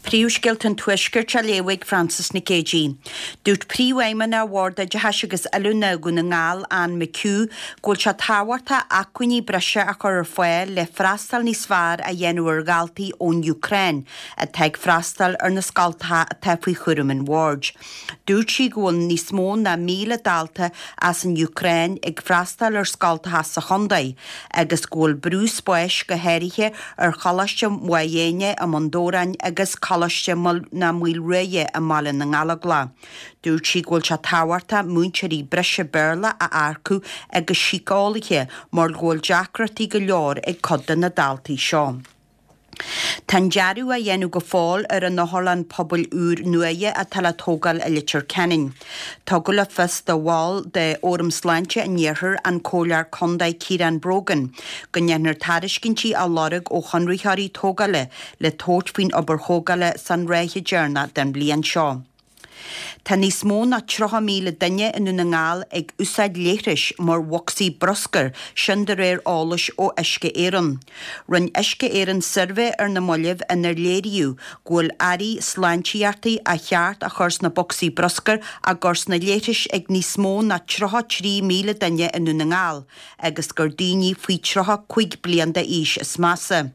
Príomhscéalta an Tuaiscirt á léamh ag Frances Nic Géadaigh. Dúirt Príomhfheidhmeannach Bhord Oideachais agus Oiliúna Dhún na nGall, Anne McHugh, go bhfuil sé tábhachtach acmhainní breise a chur ar fáil le freastal níos fearr a dhéanamh ar dhaltaí ón Úcráin atá ag freastal ar na scoltacha atá faoi chúram an Bhoird. Dúirt sí go bhfuil níos mó ná 1,000 dalta as an Úcráin ag freastal ar scoltacha sa chontae agus go bhfuil brú spáis go háirithe ar Choláiste Mhaigh Éinne i mBun Dobhráin agus Coláiste na Maoilruaidhe i mBaile na nGallóglach. Dúirt sí go bhfuil sé tábhachtach múinteoirí breise Béarla a earcú agus síceolaithe mar go bhfuil deacrachtaí go leor ag cuid de na daltaí seo. Tá an dearadh á dhéanamh go fóill ar an otharlann pobail úr nuaithe atá le tógáil i Leitir Ceanainn. Tugadh le fios do bhall de Fhóram Sláinte an Iarthair, an Comhairleoir Contae Ciarán Brogan, go ndéanfar tairiscintí á lorg ó chonraitheoirí tógála le tabhairt faoin obair thógála san ráithe deireanach den bhliain seo. Tá níos mó ná 30,000 duine i nDún na nGall ag úsáid leithris mar bhocsaí bruscair, sin de réir eolais ó Uisce Éireann. Rinne Uisce Éireann suirbhé ar na mallaibh inar léiríodh go bhfuil earraí sláintíochta ar cheart a chur sna bocsaí bruscair á gcur sna leithris ag níos mó ná 33,000 duine i nDún na nGall agus gur daoine faoi 35 bliain d'aois is measa.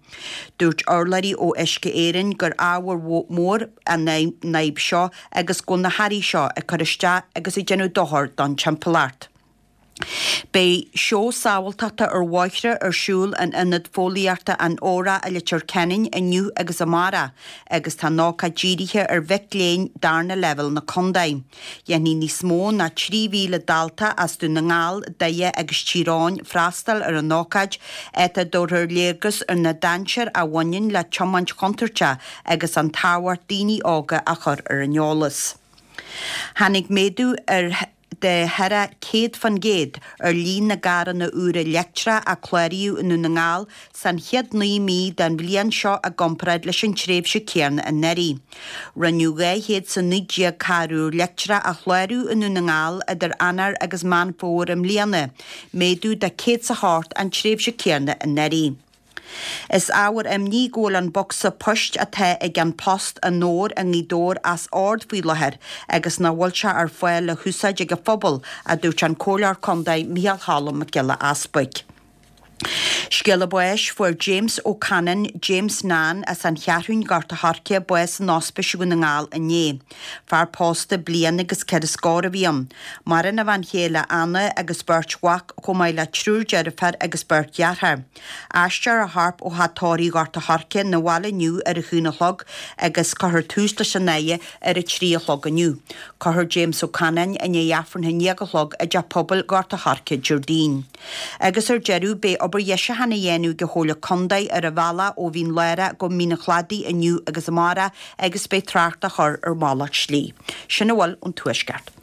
Dúirt urlabhraí ó Uisce Éireann gur ábhar mór an fhadhb seo agus go bhfuil na hearraí seo ag cur isteach agus ag déanamh dochar don timpeallacht. Beidh seó sábháilteachta ar bhóithre ar siúl in Ionad Fóillíochta an Óraigh i Leitir Ceanainn inniu agus amárach agus tá an ócáid dírithe ar mhic léinn darna leibhéal na contae. Dhéanfaidh níos mó ná 3,000 dalta as Dún na nGall, Doire agus Tír Eoghain freastal ar an ócáid, áit a dtabharfar léargas ar na dainséir a bhaineann le tiomáint chontúirteach agus an tábhacht daoine óga a chur ar an eolas. Tháinig méadú ar de thar 100% ar líon na gcarranna úra leictreacha a cláraíodh i nDún na nGall san chéad 9 mí den bhliain seo i gcomparáid leis an tréimhse céanna anuraidh. Rinneadh 219 carr úr leictreach a chlárú i nDún na nGall idir Eanáir agus Meán Fómhair i mbliana, méadú de 108 an tréimhse céanna anuraidh. Is ábhar imní go bhfuil an bocsa poist atá ag An Post i nDobhar i nGaoth Dobhair as ord faoi láthair agus nach bhfuil sé ar fáil le húsáid ag an phobal, a dúirt an Comhairleoir Contae Micheál Cholm Mac Giolla Easbuig. Scéala báis, Fuair James O'Cannon, James Nan, as An Cheathrún, Gort a' Choirce, bás in Ospís Dhún na nGall inné. Fear pósta bliain agus ceithre scór a bhí ann. Maireann a bhean chéile Anna agus beirt mhac chomh maith le triúr deirféar agus beirt dheartháir. Aistreofar a chorp ó theach tórraimh Ghort a' Choirce 'na bhaile inniu ar a haon a chlog agus cuirfear tús leis an fhaire ar a 3 a chlog inniu. Cuirfear James Ó Canáin i ndiaidh Aifreann a 9 a chlog i dTeach Pobail Ghort a' Choirce Déardaoin. Agus ar deireadh, beidh obair dheisiúcháin á dhéanamh ag an Chomhairle Contae ar an bhealach ó Mhín Lárach go Mín an Chladaigh inniu agus amárach agus beidh trácht á chur ar mhalairt slí. Sin a bhfuil ón Tuaisceart.